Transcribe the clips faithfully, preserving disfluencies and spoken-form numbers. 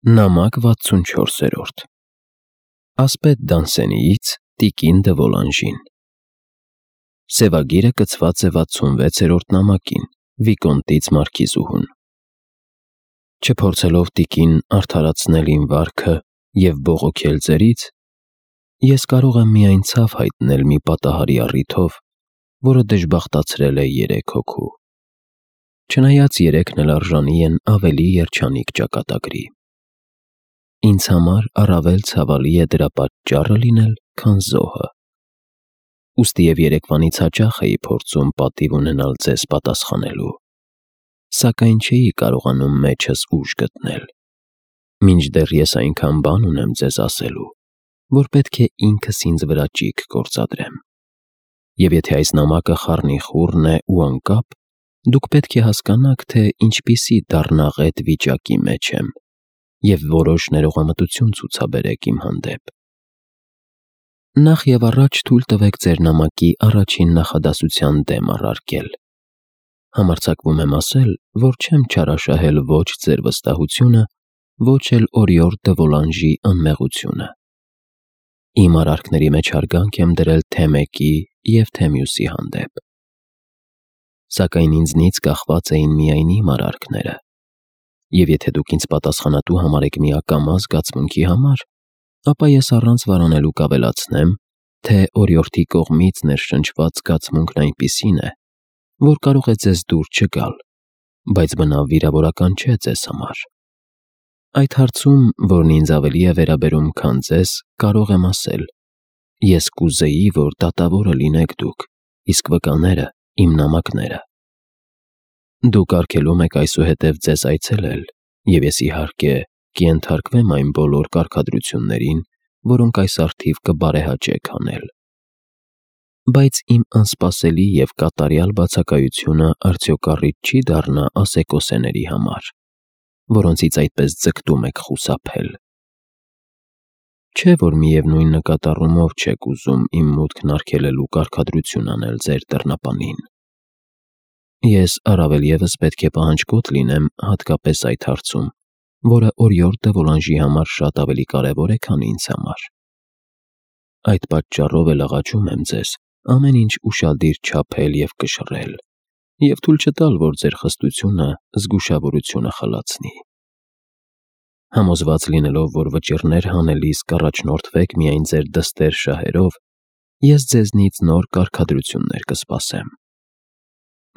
Նամակ վաթսունչորսերորդ Ասպետ Դանսենիից տիկին դը Վոլանժին Սևագիրը կցված է վաթսունվեցերորդ նամակին Վիկոնտից Մարքիզուհուն Չփորձելով տիկին արդարացնել իմ վարքը և բողոքել ձերից, ես կարող եմ միայն ցավ հայտնել մի պատահարի առիթով, որը դժբախտացրել է երեք հոգու, չնայած երեքն էլ արժանի են ավելի երջանիկ ճակատագրի։ Ինձ համար առավել ցավալի է դրա պատճառը լինել, քան զոհը։ Ուստի և երեկվանից հաճախ էի փորձում պատիվ ունենալ ձեզ պատասխանելու, սակայն չէի կարողանում մեջս ուժ գտնել, մինչդեռ ես այնքան բան ունեմ ձեզ ասելու, որ պետք է ինքս ինձ վրա ճիգ գործադրեմ։ Եվ եթե այս նամակը խառնիխուռն է ու անկապ, դուք պետք է հասկանաք, թե ինչպիսի դառնաղետ վիճակի մեջ եմ և որոշ ներողամտություն ցուցաբերեք իմ հանդեպ։ Նախ և առաջ թույլ տվեք ձեր նամակի առաջին նախադասության դեմ առարկել։ Համարձակվում եմ ասել, որ չեմ չարաշահել ոչ ձեր վստահությունը, ոչ էլ Օրիորդ դը Վոլանժի անմեղությունը։ Իմ արարքների մեջ հարգանք եմ դրել թե մեկի և թե մյուսի հանդեպ։ Սակայն ինձնից կախված էին միայն իմ արարքները, և եթե դուք ինձ պատասխանատու համարեք մի ակամա զգացմունքի համար, ապա ես առանց վարանելու կավելացնեմ, թե Օրիորդի կողմից ներշնչված զգացմունքն այնպիսին է, որ կարող է ձեզ դուր չգալ, բայց բնավ վիրավորական չէ ձեզ համար։ Այդ հարցում, որն ինձ ավելի է վերաբերում, քան ձեզ, կարող եմ ասել. ես կուզեի, որ դատավորը լինեք դուք, իսկ վկաները՝ իմ նամակները։ Դուք արգելում եք այսուհետև ձեզ այցելել, և ես, իհարկե, կենթարկվեմ այն բոլոր կարգադրություններին, որոնք այս առթիվ կբարեհաճեք անել։ Բայց իմ անսպասելի և կատարյալ բացակայությունը արդյոք առիթ չի դառնա ասեկոսեների համար, որոնցից այդպես ձգտում եք խուսափել։ Չէ՞ որ միևնույն նկատառումով չեք ուզում իմ մուտքն արգելելու կարգադրություն անել ձեր դռնապանին։ Ես առավել ևս պետք է պահանջկոտ լինեմ հատկապես այդ հարցում, որը Օրիորդ դը Վոլանժի համար շատ ավելի կարևոր է, քան ինձ համար։ Այդ պատճառով էլ աղաչում եմ ձեզ ամեն ինչ ուշադիր չափել և կշռել, և թույլ չտալ, որ ձեր խստությունը զգուշավորությունը խլացնի։ Համոզված լինելով, որ վճիռներ հանելիս կառաջնորդվեք միայն ձեր դստեր շահերով, ես ձեզնից նոր կարգադրություններ կսպասեմ։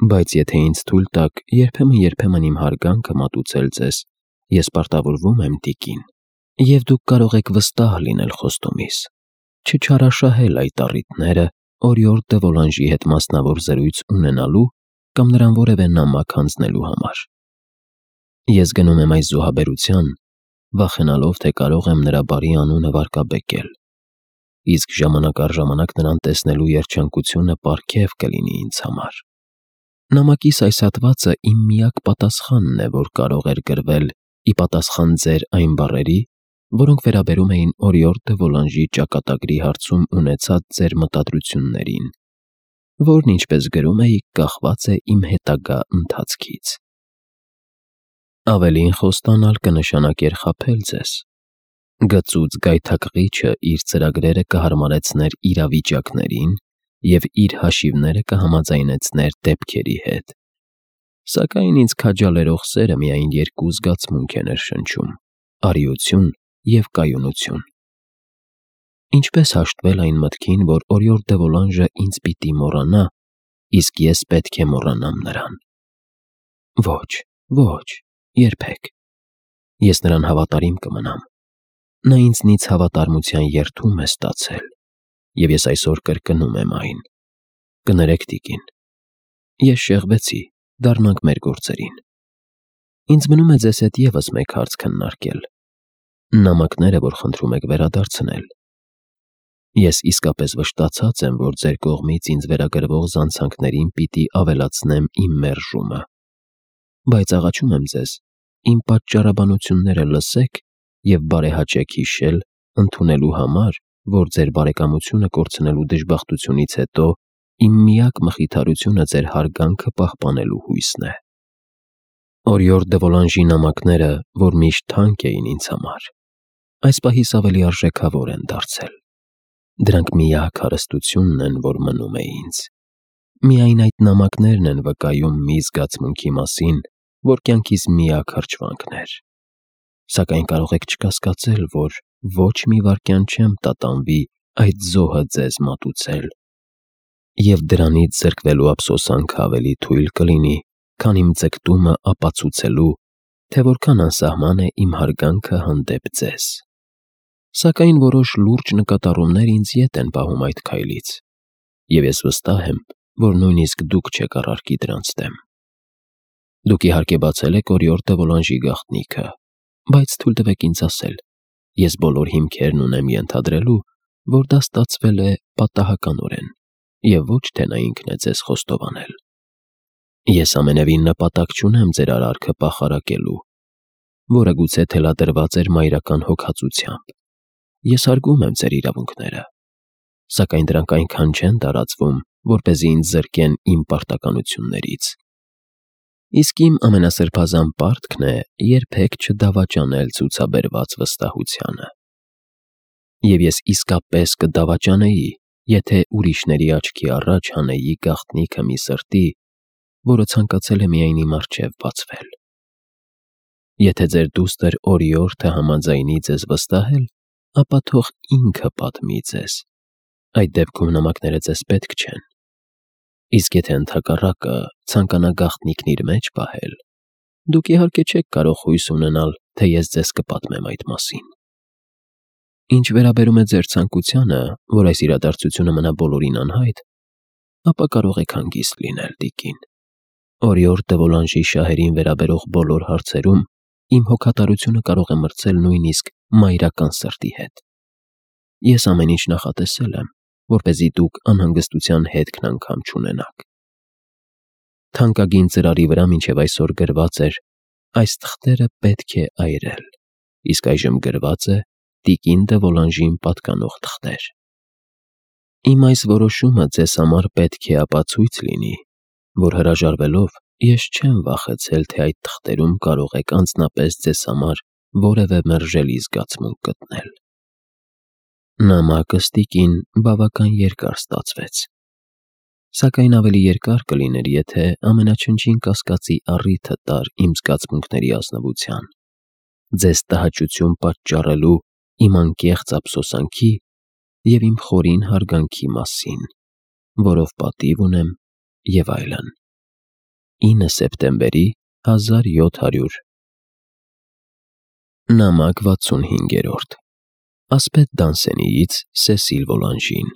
Բայց եթե ինձ թույլ տաք երբեմն-երբեմն իմ հարգանքը մատուցել ձեզ, ես պարտավորվում եմ, տիկին, և դուք կարող եք վստահ լինել խոստումիս, չչարաշահել այդ առիթները Օրիորդ դը Վոլանժի հետ մասնավոր զրույց ունենալու կամ նրան որևէ նամակ հանձնելու համար։ Ես գնում եմ այս զոհաբերության, վախենալով, թե կարող եմ նրա բարի անունը վարկաբեկել, իսկ ժամանակ առ ժամանակ նրան տեսնելու երջանկությունը պարգև կլինի ինձ համար։ Նամակիս այս հատվածը իմ միակ պատասխանն է, որ կարող էր գրվել ի պատասխան ձեր այն բառերի, որոնք վերաբերում էին Օրիորդ դը Վոլանժի ճակատագրի հարցում ունեցած ձեր մտադրություններին, որն, ինչպես գրում էիք, կախված է իմ հետագա ընթացքից։ Ավելին խոստանալ կնշանակեր խաբել ձեզ։ Գծուծ գայթակղիչը իր ծրագրերը կհարմարեցներ իրավիճակներին և իր հաշիվները կհամաձայնեցներ դեպքերի հետ, սակայն ինձ քաջալերող սերը միայն երկու զգացմունք է ներշնչում՝ արիություն և կայունություն։ Ինչպե՞ս հաշտվել այն մտքին, որ Օրիորդ դը Վոլանժը ինձ պիտի մոռանա, իսկ ես պետք է մոռանամ նրան։ Ոչ, ոչ, երբեք։ Ես նրան հավատարիմ կմնամ։ Նա ինձնից հավատարմության երդում է ստացել, և ես այսօր կրկնում եմ այն։ Կներեք, տիկին, ես շեղվեցի, դառնանք մեր գործերին։ Ինձ մնում է ձեզ հետ ևս մեկ հարց քննարկել. նամակները, որ խնդրում եք վերադարձնել։ Ես իսկապես վշտացած եմ, որ ձեր կողմից ինձ վերագրվող զանցանքներին պիտի ավելացնեմ իմ մերժումը, բայց աղաչում եմ ձեզ, իմ պատճառաբանությունները լսեք և բարեհաճեք հիշել ընդունելու համար, որ ձեր բարեկամությունը կորցնելու դժբախտությունից հետո իմ միակ մխիթարությունը ձեր հարգանքը պահպանելու հույսն է։ Օրիորդ դե Վոլանժի նամակները, որ միշտ թանկ էին ինձ համար, այս պահիս ավելի արժեքավոր են դարձել։ Դրանք միակ հարստությունն են, որ մնում է ինձ։ Միայն այդ նամակներն են վկայում մի զգացմունքի մասին, որ կյանքիս միակ հրճվանքն էր։ Սակայն կարող եք չկասկածել, որ ոչ մի վայրկյան չեմ տատանվի այդ զոհը ձեզ մատուցել, և դրանից զրկվելու ափսոսանքը ավելի թույլ կլինի, քան իմ ձգտումը ապացուցելու, թե որքան անսահման է իմ հարգանքը հանդեպ ձեզ։ Սակայն որոշ լուրջ նկատառումներ ինձ ետ են պահում այդ քայլից, և ես վստահ եմ, որ նույնիսկ դուք չեք առարկի դրանց դեմ։ Դուք իհարկե բացել եք Օրիորդ դե Վոլանժի գաղտնիքը, բայց թույլ տվեք ինձ ասել, ես բոլոր հիմքերն ունեմ ենթադրելու, որ դա ստացվել է պատահականորեն, և ոչ թե նա ինքն է ձեզ խոստովանել։ Ես ամենևին նպատակ չունեմ ձեր արարքը պախարակելու, որը գուցե թելադրված էր մայրական հոգածությամբ։ Ես հարգում եմ ձեր իրավունքները, սակայն դրանք այնքան չեն տարածվում, որպեսզի ինձ զրկեն իմ պարտականություններից։ Իսկ իմ ամենասրբազան պարտքն է երբեք չդավաճանել ցուցաբերված վստահությանը։ Եվ ես իսկապես կդավաճանեի, եթե ուրիշների աչքի առաջ հանեի գաղտնիքը մի սրտի, որը ցանկացել է միայն իմ առջև բացվել։ Եթե ձեր դուստր Օրիորդը համաձայնի ձեզ վստահել, ապա թող ինքը պատմի ձեզ։ Այդ դեպքում նամակները ձեզ պետք չեն։ Իսկ եթե ընդհակառակը ցանկանա գաղտնիքն իր մեջ պահել, դուք իհարկե չեք կարող հույս ունենալ, թե ես ձեզ կպատմեմ այդ մասին։ Ինչ վերաբերում է ձեր ցանկությանը, որ այս իրադարձությունը մնա բոլորին անհայտ, ապա կարող եք հանգիստ լինել, տիկին։ Օրիորդ դե Վոլանժի շահերին վերաբերող բոլոր հարցերում իմ հոգատարությունը կարող է մրցել նույնիսկ մայրական սրտի հետ։ Ես ամեն ինչ նախատեսել եմ, որպեսզի դուք անհանգստության հետքն անգամ չունենաք։ Թանկագին ծրարի վրա մինչև այսօր գրված էր. այս թղթերը պետք է այրել, իսկ այժմ գրված է տիկին դե Վոլանժին պատկանող թղթեր։ Իմ այս որոշումը ձեզ համար պետք է ապացույց լինի, որ հրաժարվելով ես չեմ վախեցել, թե այդ թղթերում կարող եք անձնապես ձեզ համար որևէ մերժելի զգացմունք գտնել։ Նամակս, տիկին, բավական երկար ստացվեց, սակայն ավելի երկար կլիներ, եթե ամենաչնչին կասկածի առիթը տար իմ զգացմունքների ազնվության, ձեզ տհաճություն պատճառելու իմ անկեղծ ափսոսանքի և իմ խորին հարգանքի մասին, որով պատիվ ունեմ և այլն։ ինը սեպտեմբերի հազար յոթ հարյուր Նամակ վաթսունհինգերորդ Ասպետ Դանսենիից Սեսիլ Վոլանժին։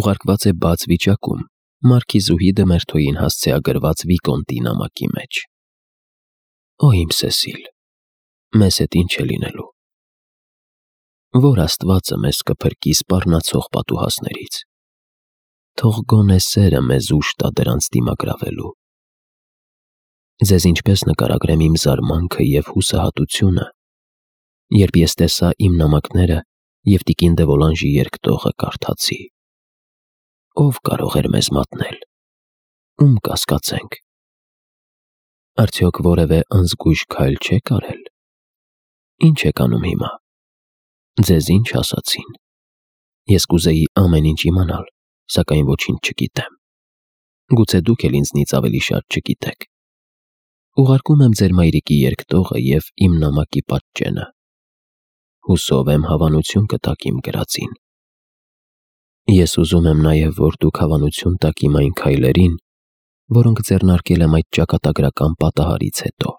Ուղարկված է բաց վիճակում Մարքիզուհի դե Մերթոյին հասցեագրված Վիկոնտի նամակի մեջ։ Օ իմ Սեսիլ, մեզ հետ ինչ է լինելու։ Որ Աստվածը մեզ կփրկի սպառնացող պատուհասներից։ Թող գոնե սերը մեզ ուժ տա դրանց դիմագրավելու։ Ձեզ ինչպես նկարագրեմ իմ զարմանքը և հուսահատությունը, երբ ես տեսա իմ նամակները և տիկին դե Վոլանժի երկտողը կարդացի։ Ո՞վ կարող էր մեզ մատնել։ Ում կասկածենք։ Արդյոք որևէ անզգույշ քայլ չեք արել։ Ինչ եք անում հիմա։ Ձեզ ինչ ասացին։ Ես կուզեի ամեն ինչ իմանալ, սակայն ոչինչ չգիտեմ։ Գուցե դուք էլ ինձնից ավելի շատ չգիտեք։ Ուղարկում եմ ձեր մայրիկի երկտողը և իմ նամակի պատճենը։ Հուսով եմ հավանություն կտաք իմ գրածին։ Ես ուզում եմ նաև, որ դուք հավանություն տաք իմ այն քայլերին, որոնք ձեռնարկել եմ այդ ճակատագրական պատահարից հետո։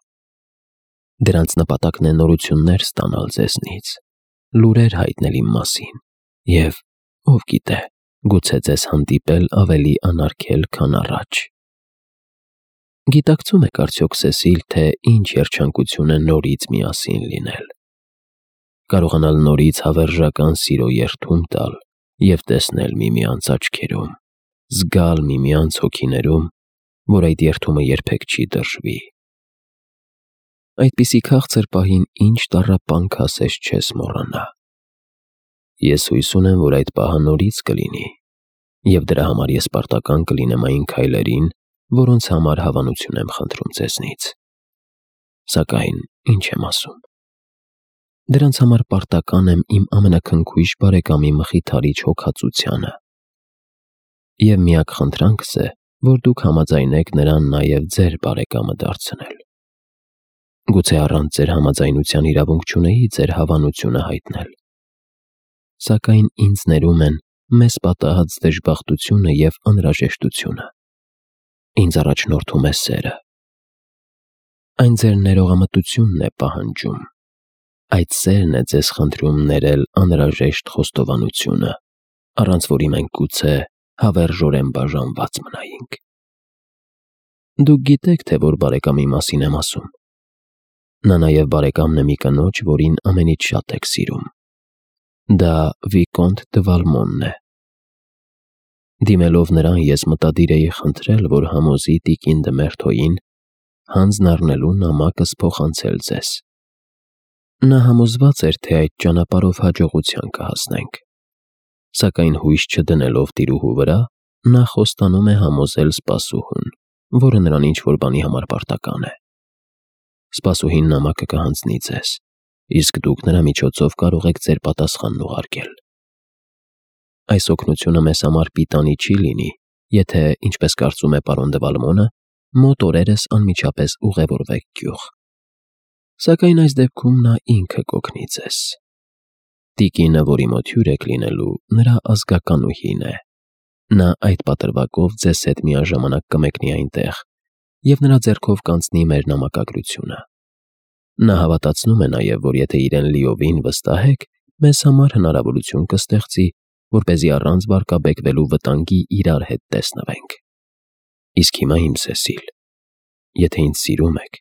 Դրանց նպատակն է նորություններ ստանալ ձեզնից, լուրեր հայտնել իմ մասին և, ով գիտե, գուցե ձեզ հանդիպել ավելի անարգել, քան առաջ։ Գիտակցում եք արդյոք, Սեսիլ, թե ինչ երջանկություն է նորից միասին լինել։ Կարողանալ նորից հավերժական սիրո երդում տալ և տեսնել միմյանց աչքերում, զգալ միմյանց հոգիներում, որ այդ երդումը երբեք չի դրժվի։ Այդպիսի քաղցր պահին ինչ տառապանք ասես չես մոռանա։ Ես հույս ունեմ, որ այդ պահը նորից կլինի, և դրա համար ես պարտական կլինեմ այն քայլերին, որոնց համար հավանություն եմ խնդրում ձեզնից։ Սակայն ինչ եմ ասում։ Դրանց համար պարտական եմ իմ ամենաքնքույժ բարեկամի մխիթարիչ հոգացությանը։ Եվ միակ խնդրանքս է, որ դուք համաձայնեք նրան նաև ձեր բարեկամը դարձնել։ Գուցե առանց ձեր համաձայնության իրավունք չունեի ձեր հավանությունը հայտնել։ Սակայն ինձ ներում են մեզ պատահած դժբախտությունը և անհրաժեշտությունը։ Ինձ առաջնորդում է սերը։ Այն ձեր ներողամտությունն է պահանջում։ Այդ սերն է ձեզ խնդրում ներել անհրաժեշտ խոստովանությունը, առանց որի մենք գուցե հավերժորեն բաժանված մնայինք։ Դուք գիտեք, թե որ բարեկամի մասին եմ ասում։ Նա նաև բարեկամն է մի կնոջ, որին ամենից շատ եք սիրում։ Դա Վիկոնտ դը Վալմոնն է։ Դիմելով նրան ես մտադիր էի խնդրել, որ համոզի տիկին դը Մերթոյին հանձն առնելու նամակս փոխանցել ձեզ։ Նա համոզված էր, թե այդ ճանապարհով հաջողության կհասնենք։ Սակայն հույս չդնելով տիրուհու վրա, նա խոստանում է համոզել սպասուհուն, որը նրան ինչ-որ բանի համար պարտական է։ Սպասուհին նամակը կհանձնի ձեզ, իսկ դուք նրա միջոցով կարող եք ձեր պատասխանն ուղարկել։ Այս օգնությունը մեզ համար պիտանի չի լինի, եթե, ինչպես կարծում է պարոն դը Վալմոնը, մոտ օրերս անմիջապես ուղևորվեք գյուղ։ Սակայն այս դեպքում նա ինքը կօգնի ձեզ։ Տիկինը, որի մոտ հյուր եք լինելու, նրա ազգականուհին է։ Նա այդ պատրվակով ձեզ հետ միաժամանակ կմեկնի այնտեղ, և նրա ձեռքով կանցնի մեր նամակագրությունը։ Նա հավատացնում է նաև, որ եթե իրեն լիովին վստահեք, մեզ համար հնարավորություն կստեղծի, որպեսզի առանց վարկաբեկվելու վտանգի իրար հետ տեսնվենք։ Իսկ հիմա իմ Սեսիլ, եթե ինձ սիրում եք,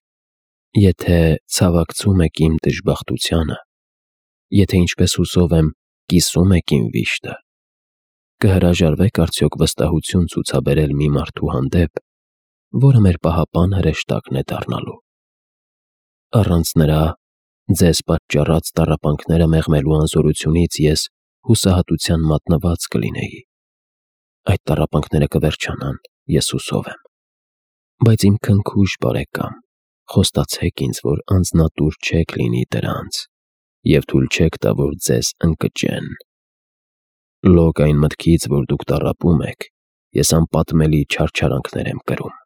եթե ցավակցում եք իմ դժբախտությանը, եթե ինչպես հուսով եմ, կիսում եք իմ վիշտը, կհրաժարվեք արդյոք վստահություն ցուցաբերել մի մարդու հանդեպ, որը մեր պահապան հրեշտակն է դառնալու։ Առանց նրա ձեզ պատճառած տառապանքները մեղմելու անզորությունից ես հուսահատության մատնված կլինեի։ Այդ տառապանքները կվերջանան, ես հուսով եմ։ Բայց իմ քնքուշ բարեկամ, խոստացեք ինձ, որ անձնատուր չեք լինի դրանց, և թույլ չեք տա, որ ձեզ ընկճեն։ Լոկ այն մտքից, որ դուք տառապում եք, ես անպատմելի չարչարանքներ եմ կրում։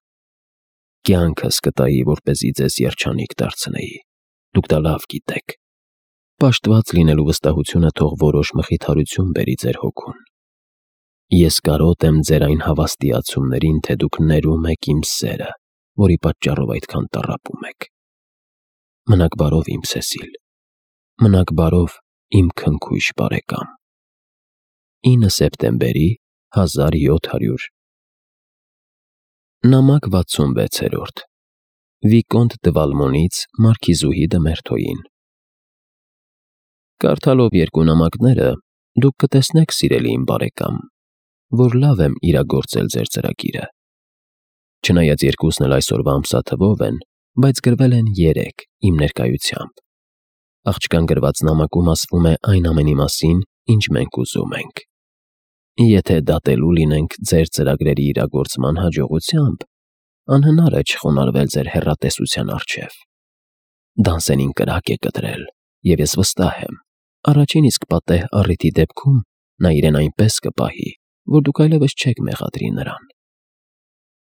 Կյանքս կտայի, որպեսզի ձեզ երջանիկ դարձնեի, դուք դա լավ գիտեք։ Պաշտված լինելու վստահությունը թող որոշ մխիթարություն բերի ձեր հոգուն։ Ես կարոտ եմ ձեր այն հավաստիացումներին, թե դուք ներում եք իմ սերը, որի պատճառով այդքան տառապում եք։ Մնաք բարով, իմ Սեսիլ, մնաք բարով, իմ քնքուշ բարեկամ։ ինը սեպտեմբերի հազար յոթ հարյուր Նամակ վաթսունվեցերորդ Վիկոնտ դը Վալմոնից մարքիզուհի դը Մերթոյին։ Կարդալով երկու նամակները դուք կտեսնեք, սիրելի իմ բարեկամ, որ լավ եմ իրագործել ձեր ծրագիրը։ Չնայած երկուսն էլ այսօրվա ամսաթվով են, բայց գրվել են երեկ իմ ներկայությամբ։ Աղջկան գրված նամակում ասվում է այն ամենի մասին, ինչ մենք ուզում ենք։ Եթե դատելու լինենք ձեր ծրագրերի իրագործման հաջողությամբ, անհնար է չխոնարհվել ձեր հեռատեսության առջև։ Դանսենին կրակ է կտրել, և ես վստահ եմ, առաջին իսկ պատեհ առիթի դեպքում նա իրեն այնպես կպահի, որ դուք այլևս չեք մեղադրի նրան։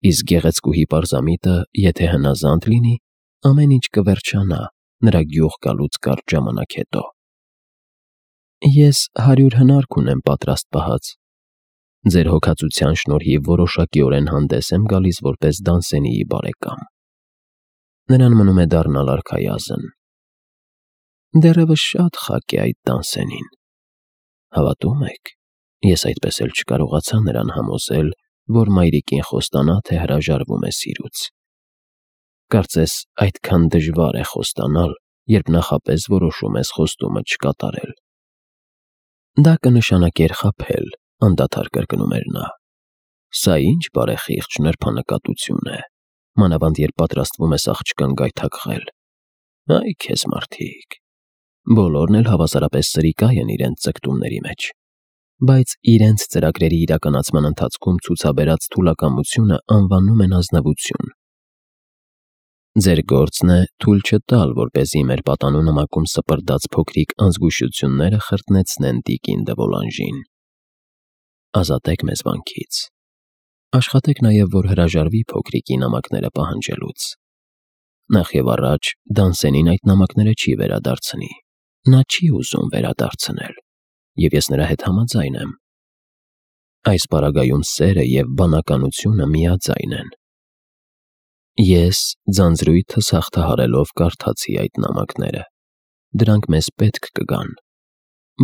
Իսկ գեղեցկուհի պարզամիտը, եթե հնազանդ լինի, ամեն ինչ կվերջանա նրա գյուղ գալուց կարճ ժամանակ հետո։ Ես հարյուր հնարք ունեմ պատրաստ պահած։ Ձեր հոգացության շնորհիվ որոշակիորեն հանդես եմ գալիս որպես Դանսենիի բարեկամ։ Նրան մնում է դառնալ արքայազն։ Դեռևս շատ խաք է այդ Դանսենին։ Հավատո՞ւմ եք, ես այդպես էլ չկարողացա նրան համոզել, որ մայրիկին խոստանա, թե հրաժարվում է սիրուց։ Կարծես այդքան դժվար է խոստանալ, երբ նախապես որոշում ես խոստումը չկատարել։ Դա կնշանակեր խաբել, անդադար կրկնում էր նա։ Սա ինչ բարեխիղճ նրբանկատություն է, մանավանդ երբ պատրաստվում ես աղջկան գայթակղել։ Այ քեզ մարդիկ։ Բոլորն էլ հավասարապես սրիկայ են իրենց ձգտումների մեջ, բայց իրենց ծրագրերի իրականացման ընթացքում ցուցաբերած թուլակամությունը անվանում են ազնվություն։ Ձեր գործն է թույլ չտալ, որպեսզի մեր պատանու նամակում սպրդած փոքրիկ անզգուշությունները խրտնեցնեն տիկին դե Վոլանժին։ Ազատեք մեզ վանքից։ Աշխատեք նաև, որ հրաժարվի փոքրիկի նամակները պահանջելուց։ Նախ եւ առաջ Դանսենին այդ նամակները չի վերադարձնի։ Նա չի ուզում վերադարձնել, եւ ես նրա հետ համաձայն եմ։ Այս պարագայում սերը եւ բանականությունը միաձայն են։ Ես ձանձրույթս հաղթահարելով կարդացի այդ նամակները։ Դրանք մեզ պետք կգան։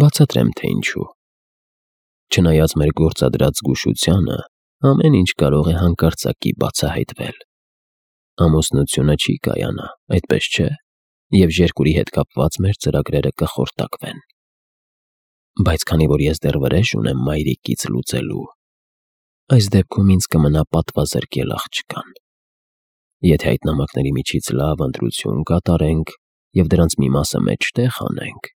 Բացատրեմ, թե ինչու։ Չնայած մեր գործադրած զգուշությանը, ամեն ինչ կարող է հանկարծակի բացահայտվել։ Ամուսնությունը չի կայանա, այդպես չէ, եւ երկուրի հետ կապված մեր ծրագրերը կխորտակվեն։ Բայց քանի որ ես դեռ վրեժ ունեմ մայրիկից լուծելու, այս դեպքում ինձ կմնա պատվազրկել աղջկան։ Եթե այդ նամակների միջից լավ ընտրություն կատարենք եւ դրանց մի մասը մեջտեղ անենք,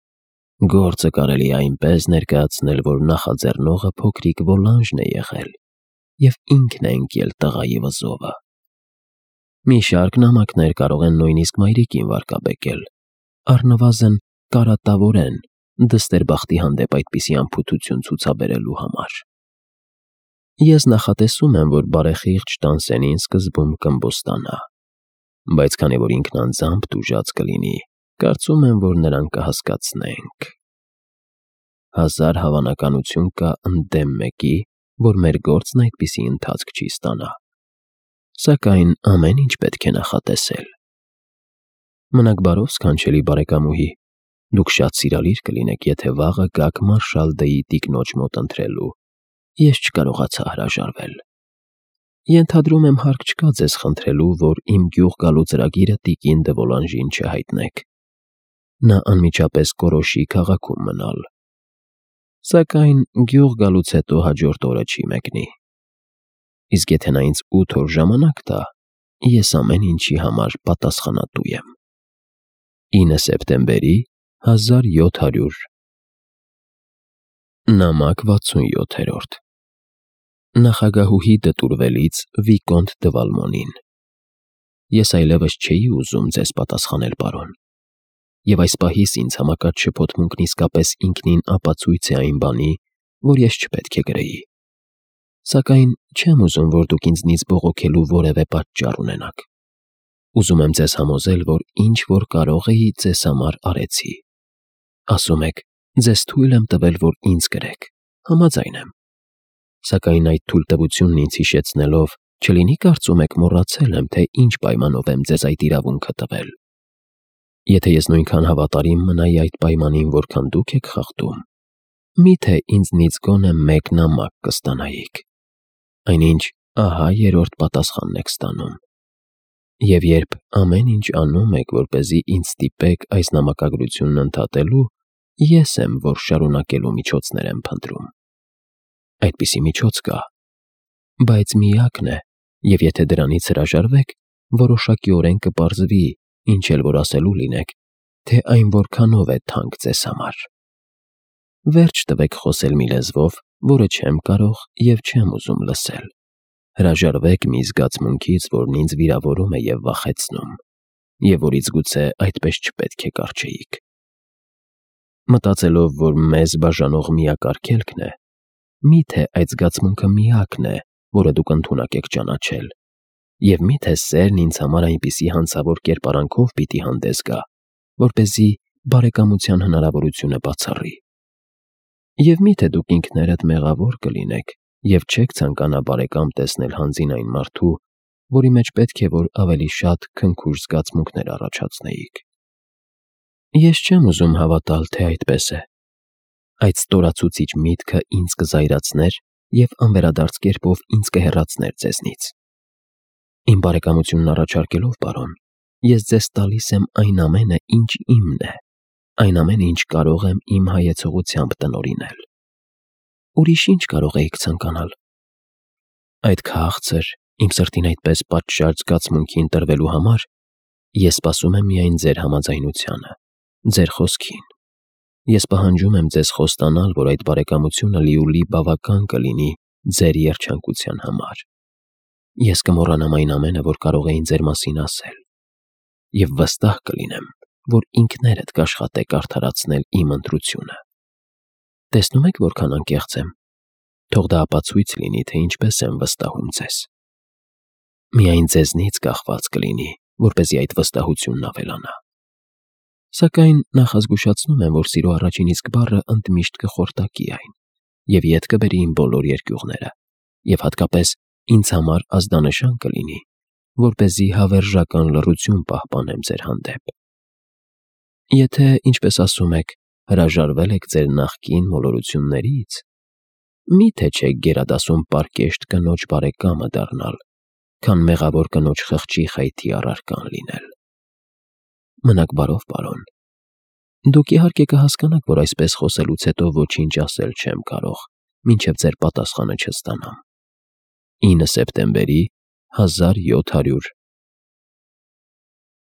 գործը կարելի է այնպես ներկայացնել, որ նախաձեռնողը փոքրիկ Վոլանժն է եղել եւ ինքն է ընկել տղայի վզովը։ Մի շարք նամակներ կարող են նույնիսկ մայրիկին վարկաբեկել, առնվազն կարատավորեն դստերբախտի հանդեպ այդպիսի անփութություն ցուցաբերելու համար։ Ես նախատեսում եմ, որ բարեխիղճ Դանսենին սկզբում կըմբոստանա, բայց քանի որ ինքն անձամբ տուժած կլինի, կարծում եմ, որ նրան կհասկացնենք։ Հազար հավանականություն կա ընդդեմ մեկի, որ մեր գործն այդպիսի ընթացք չի ստանա։ Սակայն ամեն ինչ պետք է նախատեսել։ Մնաք բարով, սքանչելի բարեկամուհի, դուք շատ սիրալիր կլինեք, եթե վաղը գաք Մարշալ Դեի տիկնոջ մոտ ընթրելու։ Ես չկարողացա հրաժարվել։ Ենթադրում եմ հարկ չկա ձեզ խնդրելու, որ իմ գյուղ գալու ծրագիրը տիկին դե Վոլանժին չհայտնեք։ Նա անմիջապես կորոշի քաղաքում մնալ։ Սակայն գյուղ գալուց հետո հաջորդ օրը չի մեկնի։ Իսկ եթե նա ինձ ութ օր ժամանակ տա, ես ամեն ինչի համար պատասխանատու եմ։ ինը սեպտեմբերի հազար յոթ հարյուր Նամակ վաթսունյոթերորդ Նախագահուհի դտուրվելից Վիկոնտ դե Վալմոնին։ Ես այլևս չէի ուզում ձեզ պատասխանել, պարոն, եւ այս պահից ինձ համակարգ շփոթմունքն իսկապես ինքնին ապացույց է այն բանի, որ ես չպետք է գրեի։ Սակայն չեմ ուզում, որ դուք ինձնից բողոքելու որևէ պատճառ ունենաք։ Ուզում եմ ձեզ համոզել, որ ինչ որ կարող էի, ձեզ համար արեցի։ Ասում եք, ձեզ թույլ եմ տվել, որ ինձ գրեք։ Համաձայն եմ։ Սակայն այդ թույլտվությունն ինձ հիշեցնելով, չլինի կարծում եք մոռացել եմ, թե ինչ պայմանով եմ ձեզ այդ իրավունքը տվել։ Եթե ես նույնքան հավատարիմ մնայի այդ պայմանին, որքան դուք եք խախտում, միթե ինձնից գոնե մեկ նամակ կստանայիք։ Այնինչ, ահա երրորդ պատասխանն եք ստանում։ Եվ երբ ամեն ինչ անում եք, որպեսզի ինձ ստիպեք այս նամակագրությունն ընդհատելու, ես եմ, որ շարունակելու միջոցներ եմ փնտրում։ Այդպիսի միջոց կա, բայց միակն է, եւ եթե դրանից հրաժարվեք, որոշակիորեն կպարզվի, ինչ էլ որ ասելու լինեք, թե այն որքանով է թանկ ձեզ համար։ Վերջ տվեք խոսել մի լեզվով, որը չեմ կարող եւ չեմ ուզում լսել։ Հրաժարվեք մի զգացմունքից, որն ինձ վիրավորում է եւ վախեցնում, եւ որից գուցե այդպես չպետք է կառչեիք։ Մտածելով, որ մեզ բաժանող միակ արգելքն է, միթե այդ զգացմունքը միակն է, որը դուք ընդունակ եք ճանաչել, եւ միթե սերն ինձ համար այնպիսի հանցավոր կերպարանքով պիտի հանդես գա, որպեսզի բարեկամության հնարավորությունը բացառի։ Եվ միթե դուք ինքներդ մեղավոր կլինեք եւ չեք ցանկանա բարեկամ տեսնել հանձին այն մարդու, որի մեջ պետք է որ ավելի շատ քնքուշ զգացմունքներ առաջացնեիք։ Ես չեմ ուզում հավատալ, թե այդպես է։ Այդ ստորացուցիչ միտքը ինձ կզայրացներ եւ անվերադարձ կերպով ինձ կհեռացներ ձեզնից։ Իմ բարեկամությունն առաջարկելով, պարոն, ես ձեզ տալիս եմ այն ամենը, ինչ իմն է, այն ամենը, ինչ կարող եմ իմ հայեցողությամբ տնօրինել։ Ուրիշ ինչ կարող էիք ցանկանալ։ Այդ քաղցր, իմ սրտին այդպես պատշաճ զգացմունքի ընտրվելու համար ես սպասում եմ միայն ձեր համաձայնությանը, ձեր խոսքին։ Ես պահանջում եմ ձեզ խոստանալ, որ այդ բարեկամությունը լիուլի բավական կլինի ձեր երջանկության համար։ Ես կմոռանամ այն ամենը, որ կարող էին ձեր մասին ասել, և վստահ կլինեմ, որ ինքներդ կաշխատեք արդարացնել իմ ընտրությունը։ Տեսնում եք, որքան անկեղծ եմ։ Թող դա ապացույց լինի, թե ինչպես եմ վստահում ձեզ։ Միայն ձեզնից կախված կլինի, որպեսզի այդ վստահությունն ավելանա։ Սակայն նախազգուշացնում եմ, որ սիրո առաջին իսկ բառը ընդմիշտ կխորտակի այն, և ետ կբերի իմ բոլոր երկյուղները, և հատկապես ինձ համար ազդանշան կլինի, որպեսզի հավերժական լռություն պահպանեմ ձեր հանդեպ։ Եթե, ինչպես ասում եք, հրաժարվել եք ձեր նախկին մոլորություններից, մի՞թե չեք գերադասում պարկեշտ կնոջ բարեկամը դառնալ, քան մեղավոր կնոջ խղճի խայթի առարկան լինել։ Մնաք բարով, պարոն։ Դուք իհարկե կհասկանաք, որ այսպես խոսելուց հետո ոչինչ ասել չեմ կարող, մինչև ձեր պատասխանը չստանամ։ ինը սեպտեմբերի հազար յոթ հարյուր